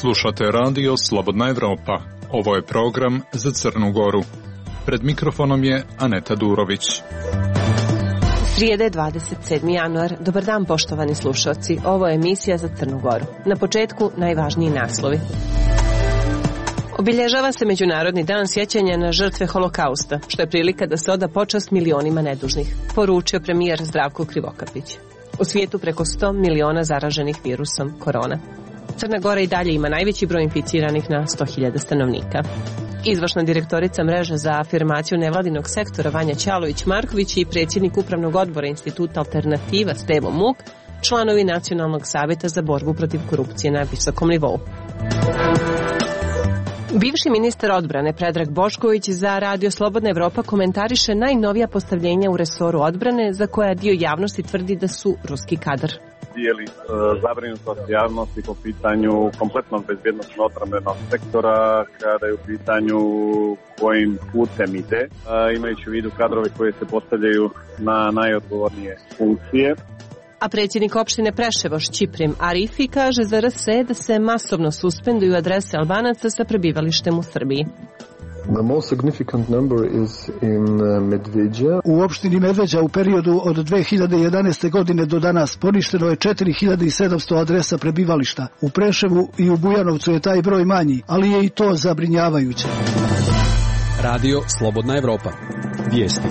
Slušate radio Slobodna Evropa. Ovo je program za Crnu Goru. Pred mikrofonom je Aneta Durović. Srijede 27. januar. Dobar dan, poštovani slušalci. Ovo je emisija za Crnu Goru. Na početku najvažniji naslovi. Obilježava se Međunarodni dan sjećanja na žrtve Holokausta, što je prilika da se oda počast milionima nedužnih, poručio premijer Zdravko Krivokapić. U svijetu preko 100 miliona zaraženih virusom korona. Crna Gora i dalje ima najveći broj inficiranih na 100.000 stanovnika. Izvršna direktorica mreže za afirmaciju nevladinog sektora Vanja Ćalović-Marković i predsjednik upravnog odbora Instituta Alternativa Stevo Muk, članovi Nacionalnog savjeta za borbu protiv korupcije na visokom nivou. Bivši ministar odbrane Predrag Bošković za radio Slobodna Evropa komentariše najnovija postavljenja u resoru odbrane za koja dio javnosti tvrdi da su ruski kadar. Dijeli zabrinutost javnosti po pitanju kompletnog bezbjednosnog odbrambenog sektora kada je u pitanju kojim putem ide, imajući u vidu kadrove koje se postavljaju na najodgovornije funkcije. A predsjednik opštine Preševo Šćiprim Arifi kaže za RSE da se masovno suspenduju adrese Albanaca sa prebivalištem u Srbiji. The most significant number is in Medveđa. U opštini Medveđa u periodu od 2011. godine do danas poništeno je 4700 adresa prebivališta. U Preševu i u Bujanovcu je taj broj manji, ali je i to zabrinjavajuće. Radio Slobodna Evropa. Vijesti.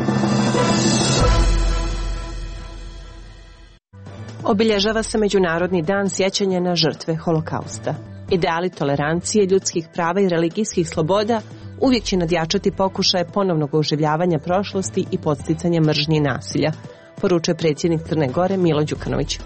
Obilježava se Međunarodni dan sjećanja na žrtve Holokausta. Ideali tolerancije, ljudskih prava i religijskih sloboda uvijek će nadjačati pokušaje ponovnog oživljavanja prošlosti i podsticanja mržnje i nasilja, poručuje predsjednik Crne Gore Milo Đukanović.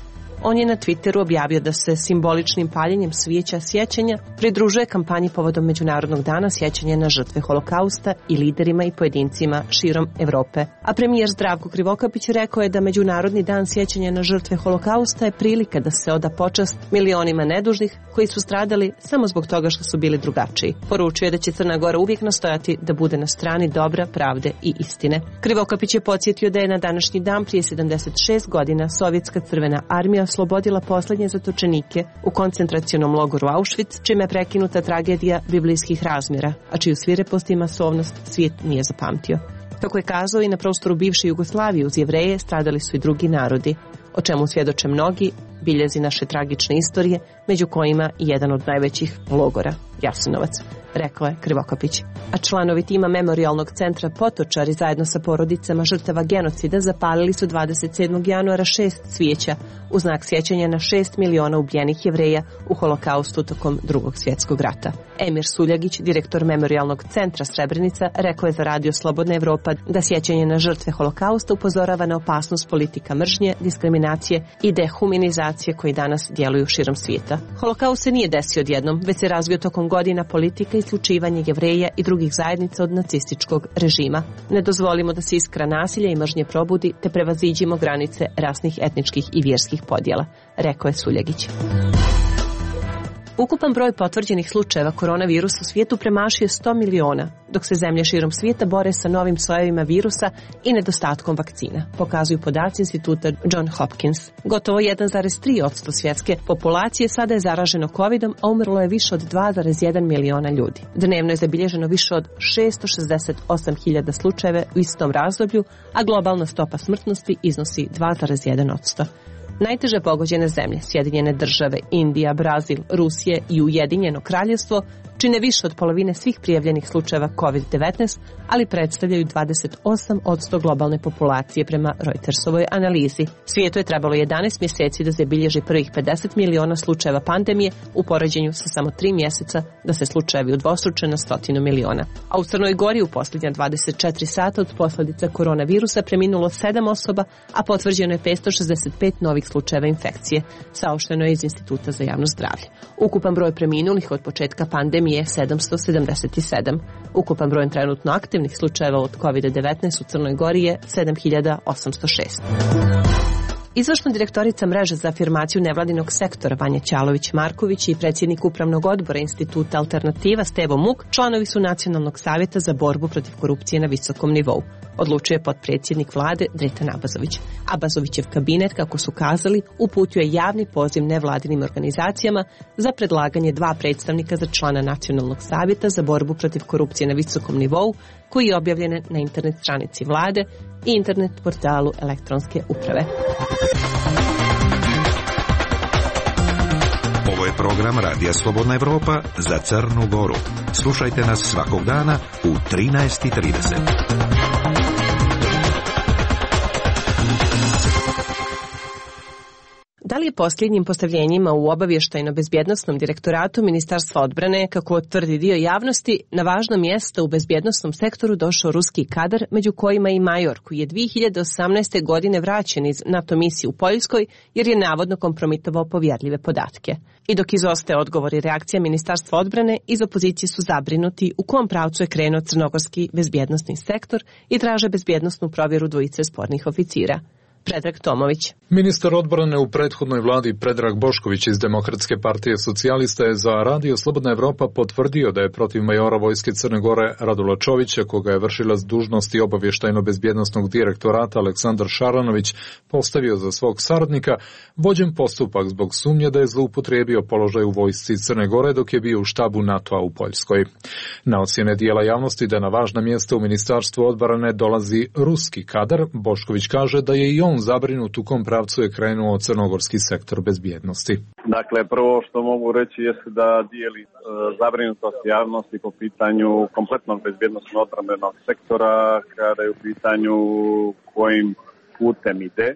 On je na Twitteru objavio da se simboličnim paljenjem svijeća sjećanja pridružuje kampanji povodom Međunarodnog dana sjećanja na žrtve Holokausta i liderima i pojedincima širom Evrope. A premijer Zdravko Krivokapić rekao je da Međunarodni dan sjećanja na žrtve Holokausta je prilika da se oda počast milionima nedužnih koji su stradali samo zbog toga što su bili drugačiji. Poručuje je da će Crna Gora uvijek nastojati da bude na strani dobra, pravde i istine. Krivokapić je podsjetio da je na današnji dan prije 76 godina Sovjetska crvena armija oslobodila posljednje zatočenike u koncentracionom logoru Auschwitz, čime je prekinuta tragedija biblijskih razmjera, a čiju svirepost i masovnost svijet nije zapamtio. Kako je kazao, i na prostoru bivše Jugoslavije uz Jevreje stradali su i drugi narodi, o čemu svjedoče mnogi biljezi naše tragične istorije, među kojima i jedan od najvećih logora, Jasenovac, rekao je Krivokapić. A članovi tima Memorijalnog centra Potočari zajedno sa porodicama žrtava genocida zapalili su 27. januara 6 cvijeća u znak sjećanja na 6 miliona ubijenih Jevreja u Holokaustu tokom Drugog svjetskog rata. Emir Suljagić, direktor Memorijalnog centra Srebrenica, rekao je za radio Slobodna Evropa da sjećanje na žrtve Holokausta upozorava na opasnost politika mržnje, diskriminacije i dehumanizacije koji danas djeluju širom svijeta. Holokaust se nije desio odjednom, već se razvio tokom godina politika i isključivanje Jevreja i drugih zajednica od nacističkog režima. Ne dozvolimo da se iskra nasilja i mržnje probudi, te prevaziđimo granice rasnih, etničkih i vjerskih podjela, rekao je Suljagić. Ukupan broj potvrđenih slučajeva koronavirusa u svijetu premašio 100 miliona, dok se zemlje širom svijeta bore sa novim sojevima virusa i nedostatkom vakcina, pokazuju podaci instituta John Hopkins. Gotovo 1,3% svjetske populacije sada je zaraženo covidom, a umrlo je više od 2,1 miliona ljudi. Dnevno je zabilježeno više od 668.000 slučajeva u istom razdoblju, a globalna stopa smrtnosti iznosi 2,1%. Najteže pogođene zemlje, Sjedinjene države, Indija, Brazil, Rusije i Ujedinjeno Kraljevstvo, čine više od polovine svih prijavljenih slučajeva COVID-19, ali predstavljaju 28% globalne populacije prema Reutersovoj analizi. Svijetu je trebalo 11 mjeseci da zabilježi prvih 50 miliona slučajeva pandemije u poređenju sa samo 3 mjeseca da se slučajevi udvostruče na 100 miliona. A u Crnoj Gori u posljednja 24 sata od posljedica koronavirusa preminulo 7 osoba, a potvrđeno je 565 novih slučajeva infekcije, saopšteno je iz Instituta za javno zdravlje. Ukupan broj preminulih od početka pandemije je 777. Ukupan broj trenutno aktivnih slučajeva od COVID-19 u Crnoj Gori je 7806. Izvršna direktorica mreže za afirmaciju nevladinog sektora Vanja Ćalović-Marković i predsjednik upravnog odbora Instituta Alternativa Stevo Muk članovi su Nacionalnog savjeta za borbu protiv korupcije na visokom nivou, odlučuje potpredsjednik vlade Dritan Abazović. Abazovićev kabinet, kako su kazali, uputio je javni poziv nevladinim organizacijama za predlaganje 2 predstavnika za člana Nacionalnog savjeta za borbu protiv korupcije na visokom nivou, koji je objavljen na internet stranici vlade i internet portalu elektronske uprave. Ovo je program Radija Slobodna Evropa za Crnu Goru. Slušajte nas svakog dana u 13:30. Da li je posljednjim postavljenjima u obavještajno-bezbjednosnom direktoratu Ministarstva odbrane, kako tvrdi dio javnosti, na važno mjesto u bezbjednosnom sektoru došao ruski kadar, među kojima i major, koji je 2018. godine vraćen iz NATO misije u Poljskoj jer je navodno kompromitovao povjerljive podatke. I dok izostaje odgovor i reakcija Ministarstva odbrane, iz opozicije su zabrinuti u kom pravcu je krenuo crnogorski bezbjednosni sektor i traže bezbjednosnu provjeru dvojice spornih oficira. Predrag Tomović. Ministar odbrane u prethodnoj vladi Predrag Bošković iz Demokratske partije socijalista je za Radio Slobodna Evropa potvrdio da je protiv majora vojske Crne Gore Radula Čovića, koga je vršilac dužnosti obavještajno-bezbjednosnog direktorata Aleksandar Šaranović postavio za svog saradnika, vođen postupak zbog sumnje da je zloupotrijebio položaj u vojsci Crne Gore dok je bio u štabu NATO-a u Poljskoj. Na ocjene dijela javnosti da na važna mjesta u Ministarstvu odbrane dolazi ruski kadar, Bošković kaže da je i on zabrinut u kom pravcu je krenuo crnogorski sektor bezbjednosti. Dakle, prvo što mogu reći jeste da dijeli zabrinutost javnosti po pitanju kompletnog bezbjednosno odbrambenog sektora kada je u pitanju kojim putem ide.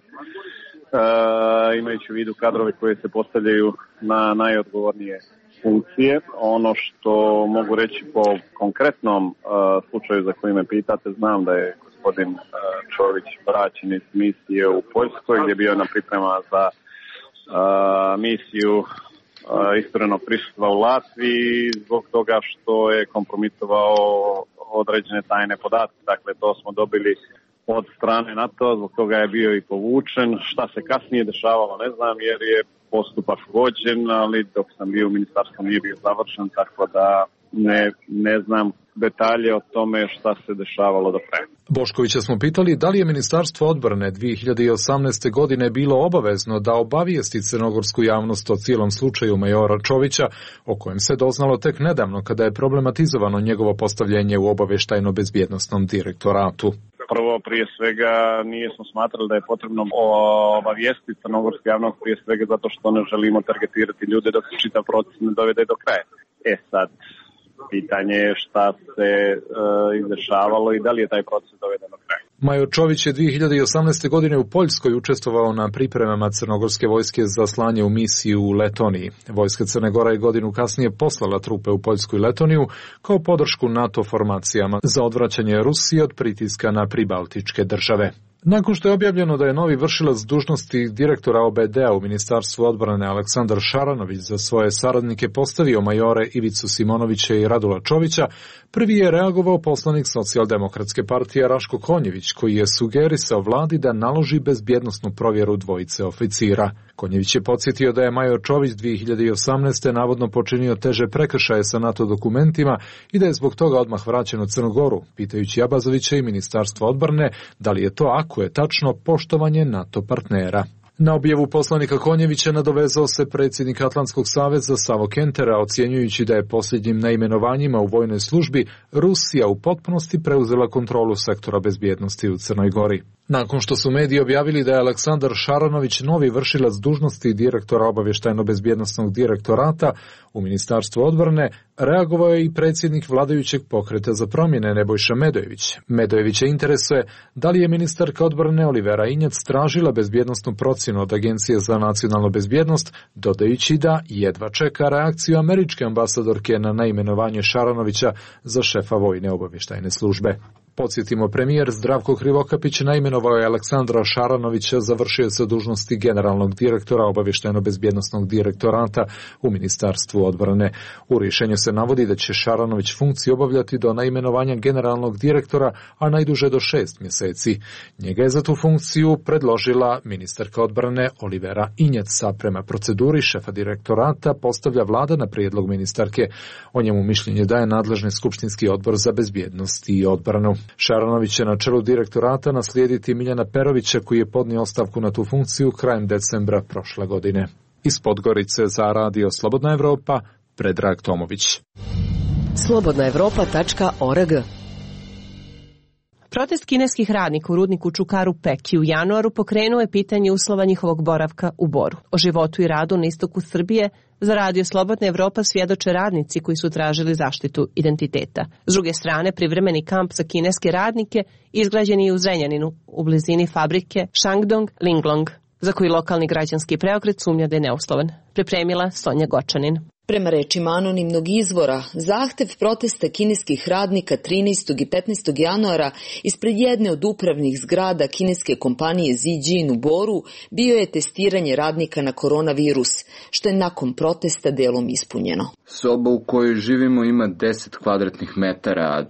Imajući u vidu kadrove koje se postavljaju na najodgovornije funkcije. Ono što mogu reći po konkretnom slučaju za koji me pitate, znam da je gospodin Čović vraćen iz misije u Poljskoj gdje je bio na priprema za misiju isturenog prisustva u Latviji zbog toga što je kompromitovao određene tajne podatke. Dakle, to smo dobili od strane NATO, zbog toga je bio i povučen. Šta se kasnije dešavalo ne znam jer je postupak vođen, ali dok sam bio u ministarstvu nije bio završen, tako da ne znam detalje o tome šta se dešavalo do kraja. Boškovića smo pitali da li je Ministarstvo odbrane 2018. godine bilo obavezno da obavijesti crnogorsku javnost o cijelom slučaju majora Čovića, o kojem se doznalo tek nedavno kada je problematizovano njegovo postavljenje u obavještajno-bezbjednosnom direktoratu. Prvo, prije svega, nismo smatrali da je potrebno obavijestiti crnogorsku javnost, prije svega zato što ne želimo targetirati ljude dok se čitav proces ne dovede do kraja. Sad, pitanje je šta se izdešavalo i da li je taj proces doveden do kraja. Major Čović je 2018. godine u Poljskoj učestvovao na pripremama crnogorske vojske za slanje u misiju u Letoniji. Vojska Crne Gore je godinu kasnije poslala trupe u Poljsku i Letoniju kao podršku NATO formacijama za odvraćanje Rusije od pritiska na pribaltičke države. Nakon što je objavljeno da je novi vršilac dužnosti direktora OBD-a u Ministarstvu odbrane Aleksandar Šaranović za svoje saradnike postavio majore Ivicu Simonovića i Radula Čovića, prvi je reagovao poslanik Socijaldemokratske partije Raško Konjević, koji je sugerisao vladi da naloži bezbjednosnu provjeru dvojice oficira. Konjević je podsjetio da je major Čović 2018. navodno počinio teže prekršaje sa NATO dokumentima i da je zbog toga odmah vraćen u Crnu Goru, pitajući Abazovića i Ministarstvo odbrane da li je to ako je tačno poštovanje NATO partnera. Na objavu poslanika Konjevića nadovezao se predsjednik Atlantskog saveza Savo Kentera, ocjenjujući da je posljednjim neimenovanjima u vojnoj službi Rusija u potpunosti preuzela kontrolu sektora bezbjednosti u Crnoj Gori. Nakon što su mediji objavili da je Aleksandar Šaranović novi vršilac dužnosti direktora obavještajno-bezbjednosnog direktorata u Ministarstvu odbrane, reagovao je i predsjednik vladajućeg pokreta za promjene Nebojša Medojević. Medojevića interesuje da li je ministarka odbrane Olivera Injac tražila bezbjednosnu procjenu od Agencije za nacionalnu bezbjednost, dodajući da jedva čeka reakciju američke ambasadorke na neimenovanje Šaranovića za šefa vojne obavještajne službe. Podsjetimo, premijer Zdravko Krivokapić naimenovao je Aleksandra Šaranovića za vršioca dužnosti generalnog direktora obavještajno-bezbjednosnog direktorata u Ministarstvu odbrane. U rješenju se navodi da će Šaranović funkciju obavljati do naimenovanja generalnog direktora, a najduže do 6 mjeseci. Njega je za tu funkciju predložila ministarka odbrane Olivera Injac, prema proceduri šefa direktorata postavlja vlada na prijedlog ministarke. O njemu mišljenje daje nadležni skupštinski odbor za bezbjednost i odbranu. Šaranović će na čelu direktorata naslijediti Miljana Perovića, koji je podnio ostavku na tu funkciju krajem decembra prošle godine. Iz Podgorice za Radio Slobodna Evropa, Predrag Tomović. slobodnaevropa.org. Protest kineskih radnika u rudniku Čukaru Peki u januaru pokrenuo je pitanje uslova njihovog boravka u Boru. O životu i radu na istoku Srbije za Radio Slobodna Evropa svjedoče radnici koji su tražili zaštitu identiteta. S druge strane, privremeni kamp za kineske radnike izgrađen je u Zrenjaninu, u blizini fabrike Shandong Linglong, za koji lokalni građanski preokret sumnja da je neuslovan. Pripremila Sonja Gočanin. Prema rečima anonimnog izvora, zahtev protesta kineskih radnika 13. i 15. januara ispred jedne od upravnih zgrada kineske kompanije Zijin u Boru bio je testiranje radnika na koronavirus, što je nakon protesta delom ispunjeno. Soba u kojoj živimo ima 10 kvadratnih metara, a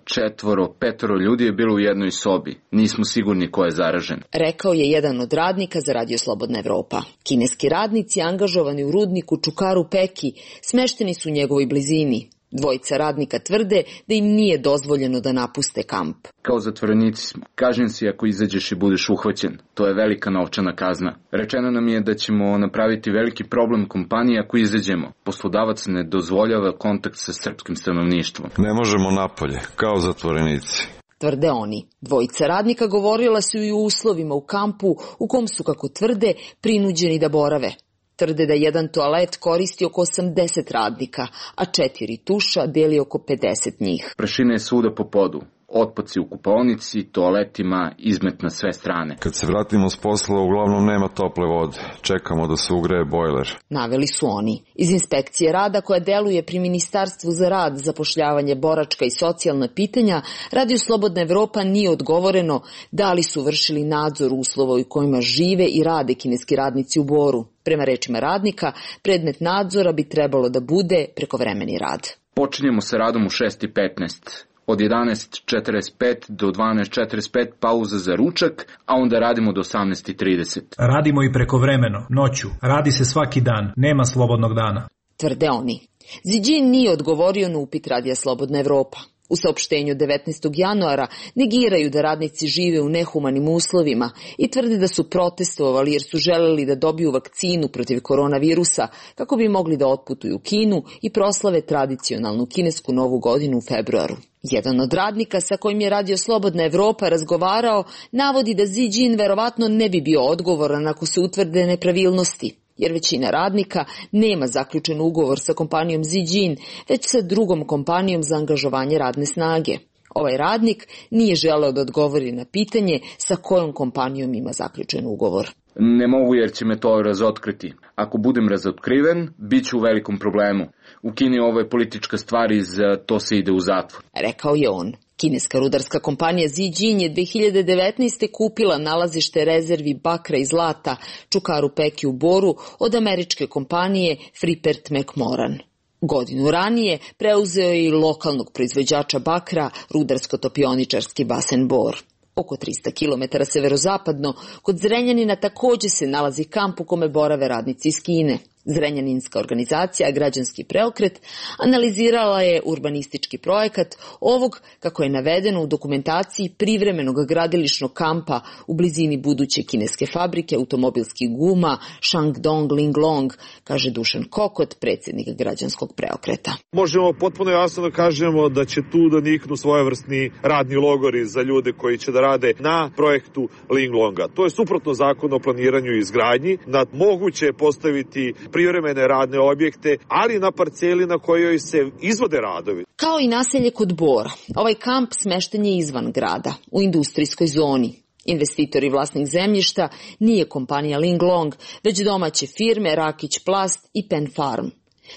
4-5 ljudi je bilo u jednoj sobi. Nismo sigurni ko je zaražen, rekao je jedan od radnika za Radio Slobodna Evropa. Kineski radnici angažovani u rudniku Čukaru Peki smešteni su u njegovoj blizini. Dvojica radnika tvrde da im nije dozvoljeno da napuste kamp. Kao zatvorenici smo. Kažem si ako izađeš i budeš uhvaćen. To je velika novčana kazna. Rečeno nam je da ćemo napraviti veliki problem kompaniji ako izađemo. Poslodavac ne dozvoljava kontakt sa srpskim stanovništvom. Ne možemo napolje, kao zatvorenici, tvrde oni. Dvojica radnika govorila su i o uslovima u kampu u kom su, kako tvrde, prinuđeni da borave. Tvrde da jedan toalet koristi oko 80 radnika, a 4 tuša deli oko 50 njih. Prašina je svuda po podu. Otpaci u kupaonici, toaletima, izmet na sve strane. Kad se vratimo s posla, uglavnom nema tople vode. Čekamo da se ugreje bojler. Naveli su oni. Iz inspekcije rada koja deluje pri Ministarstvu za rad, zapošljavanje, boračka i socijalna pitanja, Radio Slobodna Evropa nije odgovoreno da li su vršili nadzor uslova u kojima žive i rade kineski radnici u Boru. Prema rečima radnika, predmet nadzora bi trebalo da bude prekovremeni rad. Počinjemo sa radom u 6:15. Od 11:45 do 12:45 pauza za ručak, a onda radimo do 18:30. Radimo i prekovremeno, noću. Radi se svaki dan, nema slobodnog dana, tvrde oni. Zijin nije odgovorio na upit Radija Slobodna Evropa. U saopštenju 19. januara negiraju da radnici žive u nehumanim uslovima i tvrde da su protestovali jer su želeli da dobiju vakcinu protiv koronavirusa kako bi mogli da otputuju u Kinu i proslave tradicionalnu kinesku novu godinu u februaru. Jedan od radnika sa kojim je Radio Slobodna Evropa razgovarao navodi da Zijin verovatno ne bi bio odgovoran ako se utvrde nepravilnosti, jer većina radnika nema zaključen ugovor sa kompanijom Zijin, već sa drugom kompanijom za angažovanje radne snage. Ovaj radnik nije želeo da odgovori na pitanje sa kojom kompanijom ima zaključen ugovor. Ne mogu jer će me to razotkriti. Ako budem razotkriven, bit ću u velikom problemu. U Kini ovo je politička stvar i za to se ide u zatvor, rekao je on. Kineska rudarska kompanija Zijin je 2019. kupila nalazište rezervi bakra i zlata Čukaru Peki u Boru od američke kompanije Freeport McMoran. Godinu ranije preuzeo je i lokalnog proizvođača bakra rudarsko-topioničarski basen Bor. Oko 300 km severozapadno, kod Zrenjanina također se nalazi kamp u kome borave radnici iz Kine. Zrenjaninska organizacija Građanski preokret analizirala je urbanistički projekat ovog, kako je navedeno u dokumentaciji, privremenog gradilišnog kampa u blizini buduće kineske fabrike automobilskih guma Shandong Linglong, kaže Dušan Kokot, predsjednik Građanskog preokreta. Možemo potpuno jasno da kažemo da će tu da niknu svojevrsni radni logori za ljude koji će da rade na projektu Linglonga. To je suprotno zakonu o planiranju i izgradnji. Moguće je postaviti privremene radne objekte, ali na parceli na kojoj se izvode radovi. Kao i naselje kod Bora, ovaj kamp smešten je izvan grada, u industrijskoj zoni. Investitor i vlasnik zemljišta nije kompanija Linglong, već domaće firme Rakić Plast i Pen Farm.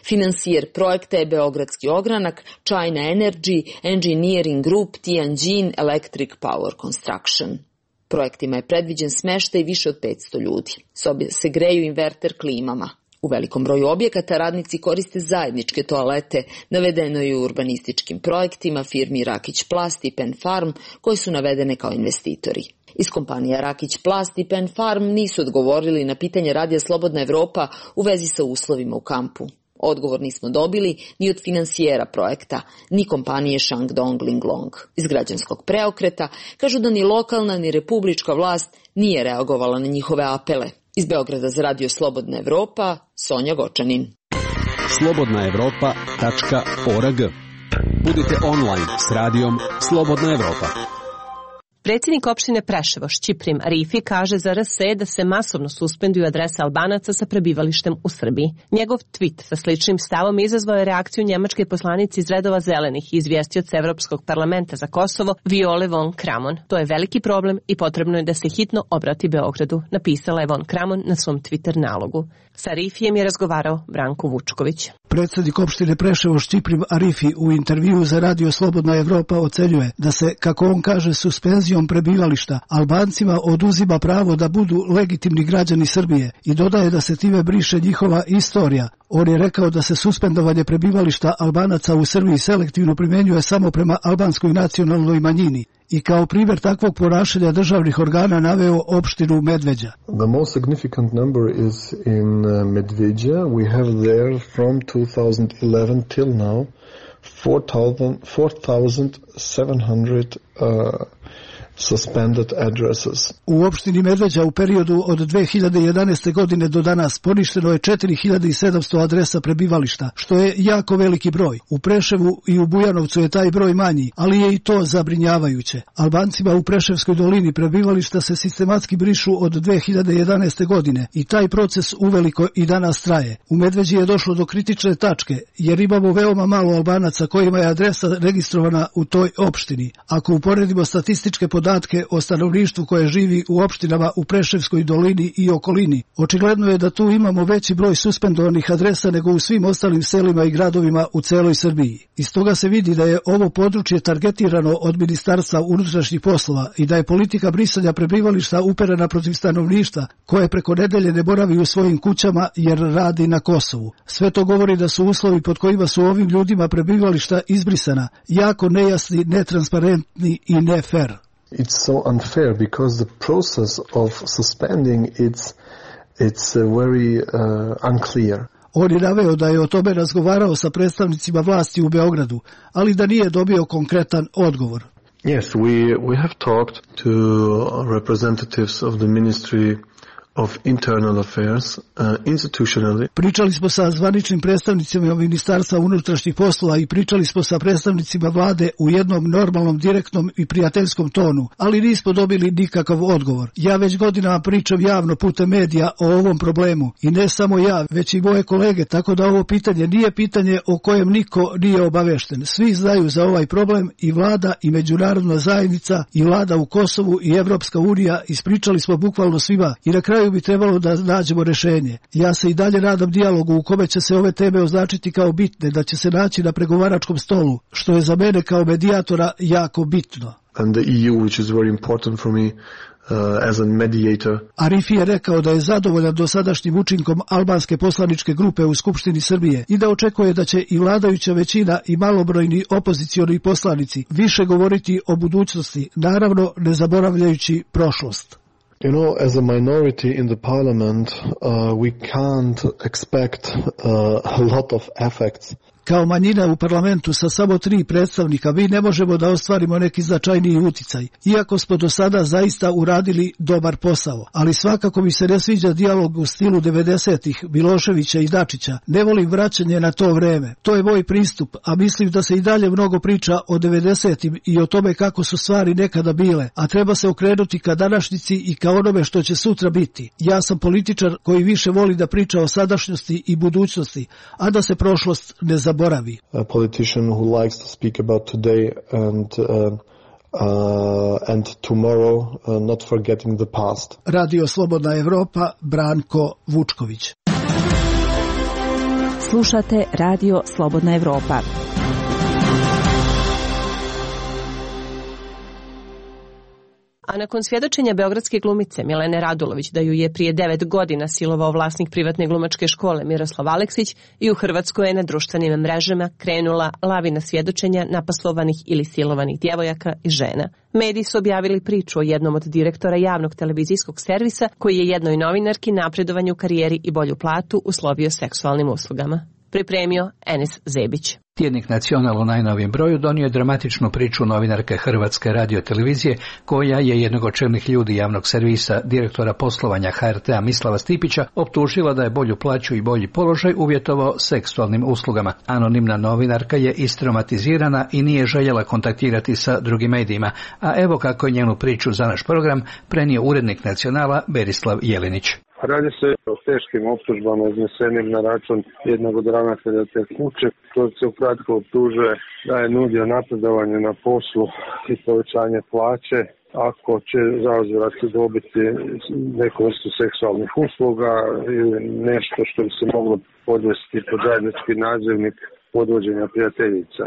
Finansijer projekta je Beogradski ogranak, China Energy, Engineering Group, Tianjin Electric Power Construction. Projektima je predviđen smeštaj više od 500 ljudi. Sobe se greju inverter klimama. U velikom broju objekata radnici koriste zajedničke toalete, navedeno je u urbanističkim projektima firmi Rakić Plast i Pen Farm, koji su navedene kao investitori. Iz kompanija Rakić Plast i Pen Farm nisu odgovorili na pitanje Radija Slobodna Evropa u vezi sa uslovima u kampu. Odgovor nismo dobili ni od finansijera projekta, ni kompanije Shandong Linglong. Iz građanskog preokreta kažu da ni lokalna ni republička vlast nije reagovala na njihove apele. Iz Beograda za Radio Slobodna Evropa, Sonja Gočanin. slobodnaevropa.org. Budite online s radijom Slobodna Evropa. Predsjednik opštine Preševo Šćiprim Arifi kaže za RSE da se masovno suspenduju adrese Albanaca sa prebivalištem u Srbiji. Njegov tweet sa sličnim stavom izazvao je reakciju njemačke poslanice iz redova zelenih i izvjestioca Evropskog parlamenta za Kosovo Viole von Kramon. To je veliki problem i potrebno je da se hitno obrati Beogradu, napisala je von Kramon na svom Twitter nalogu. Sa Arifijem je razgovarao Branko Vučković. Predsjednik opštine Preševo Šćiprim Arifi u intervjuu za Radio Slobodna Evropa ocenjuje da se, kako on kaže, suspenzijom prebivališta Albancima oduzima pravo da budu legitimni građani Srbije i dodaje da se time briše njihova istorija. On je rekao da se suspendovanje prebivališta Albanaca u Srbiji selektivno primjenjuje samo prema albanskoj nacionalnoj manjini i kao primjer takvog ponašanja državnih organa naveo opštinu Medveđa. The most significant number is in Medveđa. We have there from 2011 till now 4,700 suspended addresses. U opštini Medveđa u periodu od 2011. godine do danas poništeno je 4700 adresa prebivališta, što je jako veliki broj. U Preševu i u Bujanovcu je taj broj manji, ali je i to zabrinjavajuće. Albancima u Preševskoj dolini prebivališta se sistematski brišu od 2011. godine i taj proces uveliko i danas traje. U Medveđi je došlo do kritične tačke, jer imamo veoma malo Albanaca kojima je adresa registrovana u toj opštini. Ako uporedimo statističke podatke o stanovništvu koje živi u opštinama u Preševskoj dolini i okolini, očigledno je da tu imamo veći broj suspendovanih adresa nego u svim ostalim selima i gradovima u celoj Srbiji. Iz toga se vidi da je ovo područje targetirano od Ministarstva unutrašnjih poslova i da je politika brisanja prebivališta uperena protiv stanovništva koje preko nedelje ne boravi u svojim kućama jer radi na Kosovu. Sve to govori da su uslovi pod kojima su ovim ljudima prebivališta izbrisana jako nejasni, netransparentni i ne fair. It's so unfair because the process of suspending it's very unclear. On je naveo da je o tome razgovarao sa predstavnicima vlasti u Beogradu, ali da nije dobio konkretan odgovor. Yes, we have talked to representatives of the Ministry of Internal Affairs, institutionally. Pričali smo sa zvaničnim predstavnicima Ministarstva unutrašnjih poslova i pričali smo sa predstavnicima vlade u jednom normalnom, direktnom i prijateljskom tonu, ali nismo dobili nikakav odgovor. Ja već godinama pričam javno putem medija o ovom problemu i ne samo ja, već i moje kolege, tako da ovo pitanje nije pitanje o kojem niko nije obavešten. Svi znaju za ovaj problem i vlada i međunarodna zajednica i vlada u Kosovu i Evropska unija, ispričali smo bukvalno svima i na kraju bi trebalo da nađemo rešenje. Ja se i dalje nadam dijalogu u kome će se ove teme označiti kao bitne, da će se naći na pregovaračkom stolu, što je za mene kao medijatora jako bitno. And the EU, which is very important for me as a mediator. Arifi je rekao da je zadovoljan dosadašnjim učinkom albanske poslaničke grupe u Skupštini Srbije i da očekuje da će i vladajuća većina i malobrojni opozicioni poslanici više govoriti o budućnosti, naravno ne zaboravljajući prošlost. You know, as a minority in the parliament, we can't expect a lot of effects. Kao manjina u parlamentu sa samo 3 predstavnika mi ne možemo da ostvarimo neki značajniji uticaj, iako smo do sada zaista uradili dobar posao. Ali svakako mi se ne sviđa dijalog u stilu 90-ih Miloševića i Dačića. Ne volim vraćanje na to vreme. To je moj pristup, a mislim da se i dalje mnogo priča o 90-im i o tome kako su stvari nekada bile, a treba se okrenuti ka današnjici i ka onome što će sutra biti. Ja sam političar koji više voli da priča o sadašnjosti i budućnosti, a da se prošlost ne zaboravi. A politician who likes to speak about today and tomorrow, not forgetting the past. Radio Slobodna Evropa, Branko Vučković. Slušate Radio Slobodna Evropa. A nakon svjedočenja beogradske glumice Milene Radulović da ju je prije 9 godina silovao vlasnik privatne glumačke škole Miroslav Aleksić, i u Hrvatskoj je na društvenim mrežama krenula lavina svjedočenja napaslovanih ili silovanih djevojaka i žena. Mediji su objavili priču o jednom od direktora javnog televizijskog servisa koji je jednoj novinarki napredovanje u karijeri i bolju platu uslovio seksualnim uslugama. Pripremio Enis Zebić. Tjednik Nacional u najnovijem broju donio je dramatičnu priču novinarke Hrvatske radiotelevizije, koja je jednog od čelnih ljudi javnog servisa, direktora poslovanja HRT-a Mislava Stipića, optužila da je bolju plaću i bolji položaj uvjetovao seksualnim uslugama. Anonimna novinarka je istraumatizirana i nije željela kontaktirati sa drugim medijima, a evo kako je njenu priču za naš program prenio urednik Nacionala Berislav Jelinić. Radi se o teškim optužbama iznesenim na račun jednog od ravnatelja te kuće, koji se ukratko optužuje da je nudio napredovanje na poslu i povećanje plaće ako će zauzvrat dobiti neku vrstu seksualnih usluga ili nešto što bi se moglo podvesti pod zajednički nazivnik podvođenja prijateljica,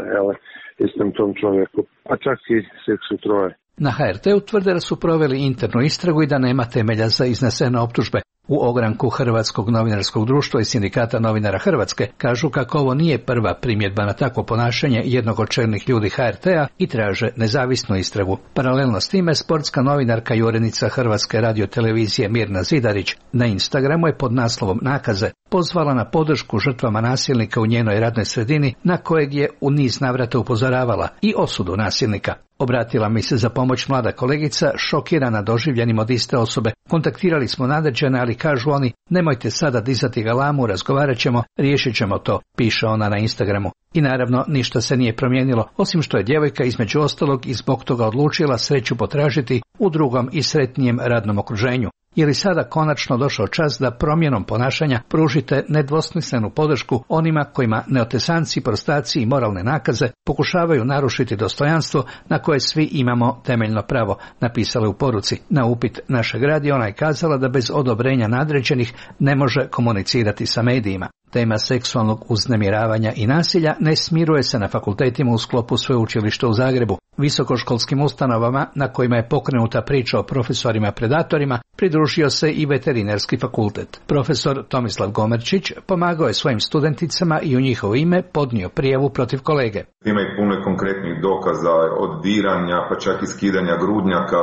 istom tom čovjeku, a čak i seksu troje. Na HRT-u tvrde da su proveli internu istragu i da nema temelja za iznesene optužbe. U ogranku Hrvatskog novinarskog društva i Sindikata novinara Hrvatske kažu kako ovo nije prva primjedba na takvo ponašanje jednog od čelnih ljudi HRT-a i traže nezavisnu istragu. Paralelno s time, sportska novinarka i urednica Hrvatske radiotelevizije Mirna Zidarić na Instagramu je pod naslovom Nakaze pozvala na podršku žrtvama nasilnika u njenoj radnoj sredini, na kojeg je u niz navrata upozoravala, i osudu nasilnika. Obratila mi se za pomoć mlada kolegica, šokirana doživljenim od iste osobe. Kontaktirali smo nadređene, ali kažu oni, nemojte sada dizati galamu, razgovarat ćemo, riješit ćemo to, piše ona na Instagramu. I naravno, ništa se nije promijenilo, osim što je djevojka između ostalog i zbog toga odlučila sreću potražiti u drugom i sretnijem radnom okruženju. Je li sada konačno došao čas da promjenom ponašanja pružite nedvosmislenu podršku onima kojima neotesanci, prostaci i moralne nakaze pokušavaju narušiti dostojanstvo na koje svi imamo temeljno pravo, napisala je u poruci. Na upit našeg radija ona je kazala da bez odobrenja nadređenih ne može komunicirati sa medijima. Tema seksualnog uznemiravanja i nasilja ne smiruje se na fakultetima u sklopu sveučilišta u Zagrebu. Visokoškolskim ustanovama na kojima je pokrenuta priča o profesorima predatorima pridružio se i veterinarski fakultet. Profesor Tomislav Gomerčić pomagao je svojim studenticama i u njihovo ime podnio prijavu protiv kolege. Ima i puno konkretnih dokaza od diranja, pa čak i skidanja grudnjaka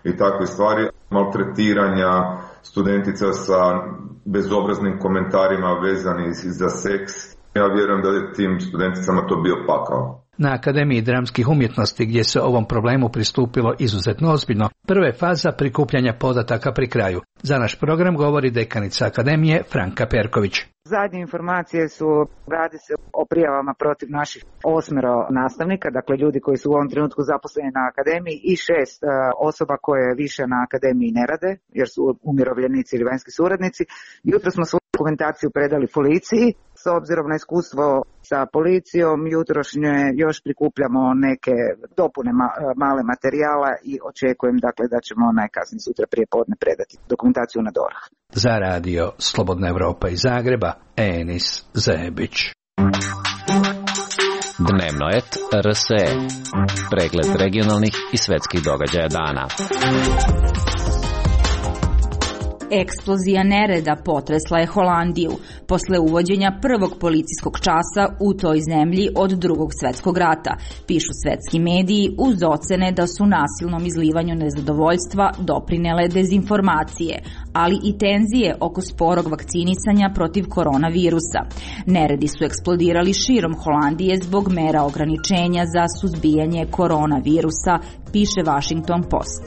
i takve stvari, maltretiranja studentica sa bezobraznim komentarima vezani za seks. Ja vjerujem da je tim studenticama to bio pakao. Na Akademiji dramskih umjetnosti, gdje se ovom problemu pristupilo izuzetno ozbiljno, prve faza prikupljanja podataka pri kraju. Za naš program govori dekanica Akademije Franka Perković. Zadnje informacije su, radi se o prijavama protiv naših 8 nastavnika, dakle ljudi koji su u ovom trenutku zaposleni na Akademiji, i 6 osoba koje više na Akademiji ne rade, jer su umirovljenici ili vanjski suradnici. Jutro smo svoju dokumentaciju predali policiji. S obzirom na iskustvo sa policijom, jutrošnje još prikupljamo neke dopune male materijala i očekujem dakle da ćemo najkasnije sutra prije podne predati dokumentaciju na DORH. Za radio Slobodna Evropa iz Zagreba, Enis Zebić. Dnevnoet RSE. Pregled regionalnih i svetskih događaja dana. Eksplozija nereda potresla je Holandiju posle uvođenja prvog policijskog časa u toj zemlji od Drugog svjetskog rata, pišu svetski mediji, uz ocene da su nasilnom izlivanju nezadovoljstva doprinele dezinformacije, ali i tenzije oko sporog vakcinisanja protiv koronavirusa. Neredi su eksplodirali širom Holandije zbog mera ograničenja za suzbijanje koronavirusa, piše Washington Post.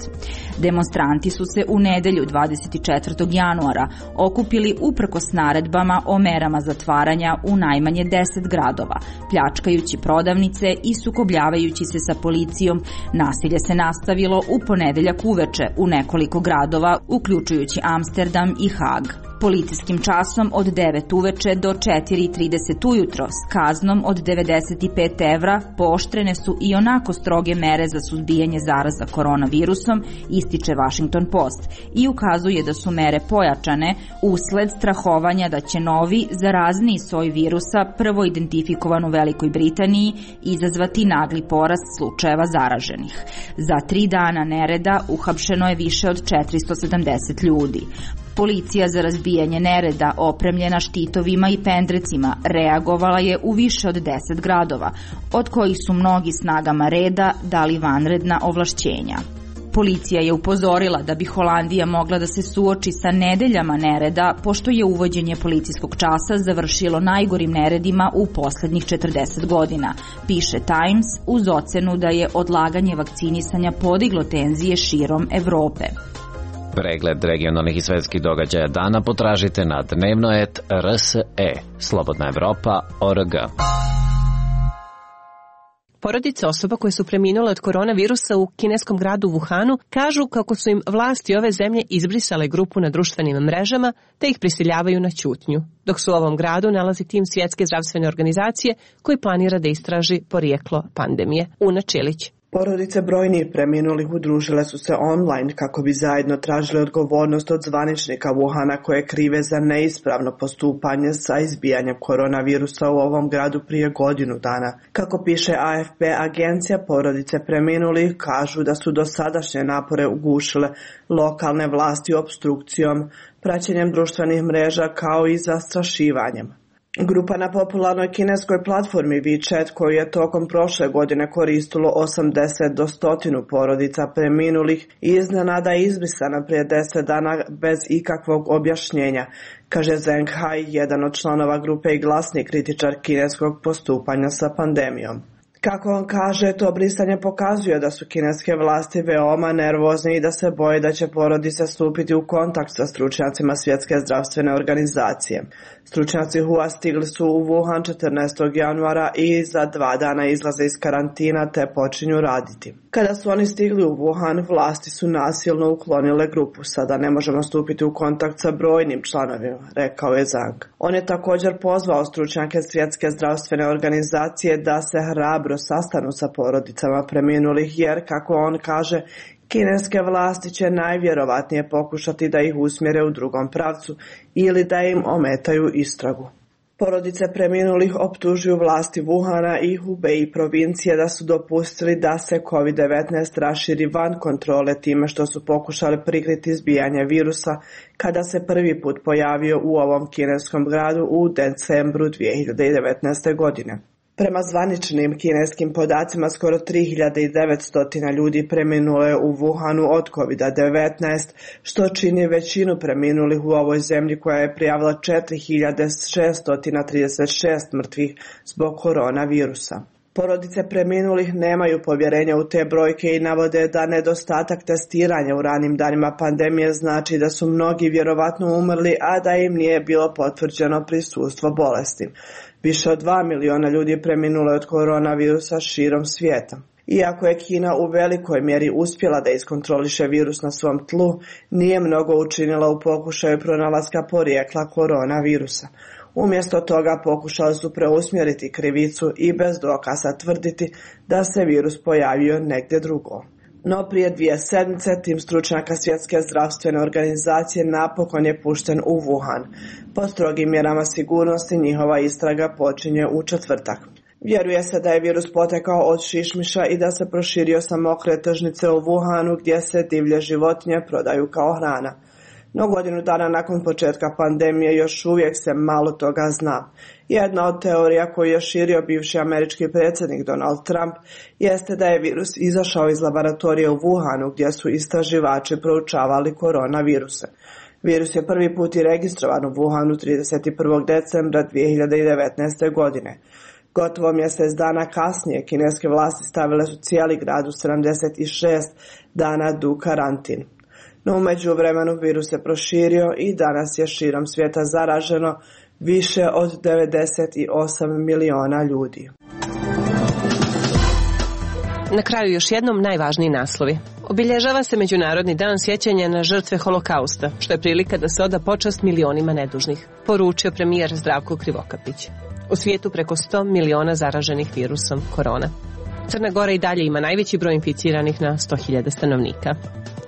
Demonstranti su se u nedelju 24. januara okupili uprkos naredbama o merama zatvaranja u najmanje 10 gradova, pljačkajući prodavnice i sukobljavajući se sa policijom. Nasilje se nastavilo u ponedeljak uveče u nekoliko gradova, uključujući Amsterdam i Hag. policijskim časom od 9 uveče do 4:30 ujutro s kaznom od 95 evra pooštrene su i onako stroge mere za suzbijanje zaraza koronavirusom, ističe Washington Post, i ukazuje da su mere pojačane usled strahovanja da će novi, zarazniji soj virusa, prvo identifikovan u Velikoj Britaniji, izazvati nagli porast slučajeva zaraženih. Za 3 dana nereda uhapšeno je više od 470 ljudi. Policija za razbijanje nereda, opremljena štitovima i pendrecima, reagovala je u više od 10 gradova, od kojih su mnogi snagama reda dali vanredna ovlašćenja. Policija je upozorila da bi Holandija mogla da se suoči sa nedeljama nereda, pošto je uvođenje policijskog časa završilo najgorim neredima u poslednjih 40 godina, piše Times, uz ocenu da je odlaganje vakcinisanja podiglo tenzije širom Evrope. Pregled regionalnih i svetskih događaja dana potražite na dnevno.rse, slobodnaevropa.org. Porodice osoba koje su preminule od koronavirusa u kineskom gradu Wuhanu kažu kako su im vlasti ove zemlje izbrisale grupu na društvenim mrežama te ih prisiljavaju na ćutnju, dok se u ovom gradu nalazi tim Svjetske zdravstvene organizacije koji planira da istraži porijeklo pandemije. Una Čilić. Porodice brojnih preminulih udružile su se online kako bi zajedno tražile odgovornost od zvaničnika Wuhana koje krive za neispravno postupanje sa izbijanjem koronavirusa u ovom gradu prije godinu dana. Kako piše AFP, agencija porodice preminulih kažu da su dosadašnje napore ugušile lokalne vlasti opstrukcijom, praćenjem društvenih mreža kao i zastrašivanjem. Grupa na popularnoj kineskoj platformi WeChat, koju je tokom prošle godine koristilo 80 do 100 porodica preminulih, iznenada je izbrisana prije 10 dana bez ikakvog objašnjenja, kaže Zheng Hai, jedan od članova grupe i glasni kritičar kineskog postupanja sa pandemijom. Kako on kaže, to brisanje pokazuje da su kineske vlasti veoma nervozne i da se boje da će porodice stupiti u kontakt sa stručnjacima Svjetske zdravstvene organizacije. Stručnjaci HUA stigli su u Wuhan 14. januara i za 2 dana izlaze iz karantina te počinju raditi. Kada su oni stigli u Wuhan, vlasti su nasilno uklonile grupu. Sada ne možemo stupiti u kontakt sa brojnim članovima, rekao je Zhang. On je također pozvao stručnjake Svjetske zdravstvene organizacije da se hrabro sastanu sa porodicama preminulih, jer, kako on kaže, kineske vlasti će najvjerovatnije pokušati da ih usmjere u drugom pravcu ili da im ometaju istragu. Porodice preminulih optužuju vlasti Wuhana i Hubei provincije da su dopustili da se COVID-19 raširi van kontrole time što su pokušali prikriti izbijanje virusa kada se prvi put pojavio u ovom kineskom gradu u decembru 2019. godine. Prema zvaničnim kineskim podacima, skoro 3900 ljudi preminulo je u Wuhanu od COVID-19, što čini većinu preminulih u ovoj zemlji koja je prijavila 4636 mrtvih zbog koronavirusa. Porodice preminulih nemaju povjerenja u te brojke i navode da nedostatak testiranja u ranim danima pandemije znači da su mnogi vjerovatno umrli, a da im nije bilo potvrđeno prisustvo bolesti. Više od 2 miliona ljudi preminulo je od koronavirusa širom svijeta. Iako je Kina u velikoj mjeri uspjela da iskontroliše virus na svom tlu, nije mnogo učinila u pokušaju pronalaska porijekla koronavirusa. Umjesto toga pokušali su preusmjeriti krivicu i bez dokaza tvrditi da se virus pojavio negdje drugo. No prije 2 sedmice tim stručnjaka Svjetske zdravstvene organizacije napokon je pušten u Wuhan. Po strogim mjerama sigurnosti njihova istraga počinje u četvrtak. Vjeruje se da je virus potekao od šišmiša i da se proširio sa mokre tržnice u Wuhanu gdje se divlje životinje prodaju kao hrana. No godinu dana nakon početka pandemije još uvijek se malo toga zna. Jedna od teorija koju je širio bivši američki predsjednik Donald Trump jeste da je virus izašao iz laboratorija u Wuhanu gdje su istraživači proučavali koronaviruse. Virus je prvi put i registrovan u Wuhanu 31. decembra 2019. godine. Gotovo mjesec dana kasnije kineske vlasti stavile su cijeli grad u 76 dana du karantin. No u međuvremenu virus se proširio i danas je širom svijeta zaraženo više od 98 miliona ljudi. Na kraju još jednom najvažniji naslovi. Obilježava se Međunarodni dan sjećanja na žrtve Holokausta, što je prilika da se oda počast milionima nedužnih, poručio premijer Zdravko Krivokapić. U svijetu preko 100 miliona zaraženih virusom korona. Crna Gora i dalje ima najveći broj inficiranih na 100.000 stanovnika.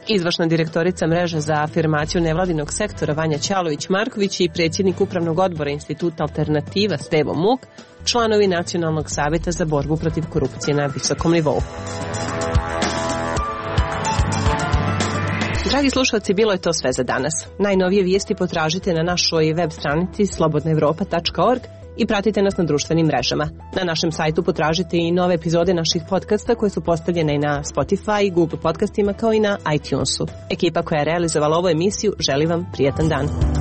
Izvršna direktorica mreže za afirmaciju nevladinog sektora Vanja Ćalović-Marković i predsjednik upravnog odbora Instituta Alternativa Stevo Muk, članovi Nacionalnog savjeta za borbu protiv korupcije na visokom nivou. Dragi slušalci, bilo je to sve za danas. Najnovije vijesti potražite na našoj web stranici slobodnaevropa.org i pratite nas na društvenim mrežama. Na našem sajtu potražite i nove epizode naših podcasta koje su postavljene i na Spotify, Google podcastima kao i na iTunesu. Ekipa koja je realizovala ovu emisiju želi vam prijatan dan.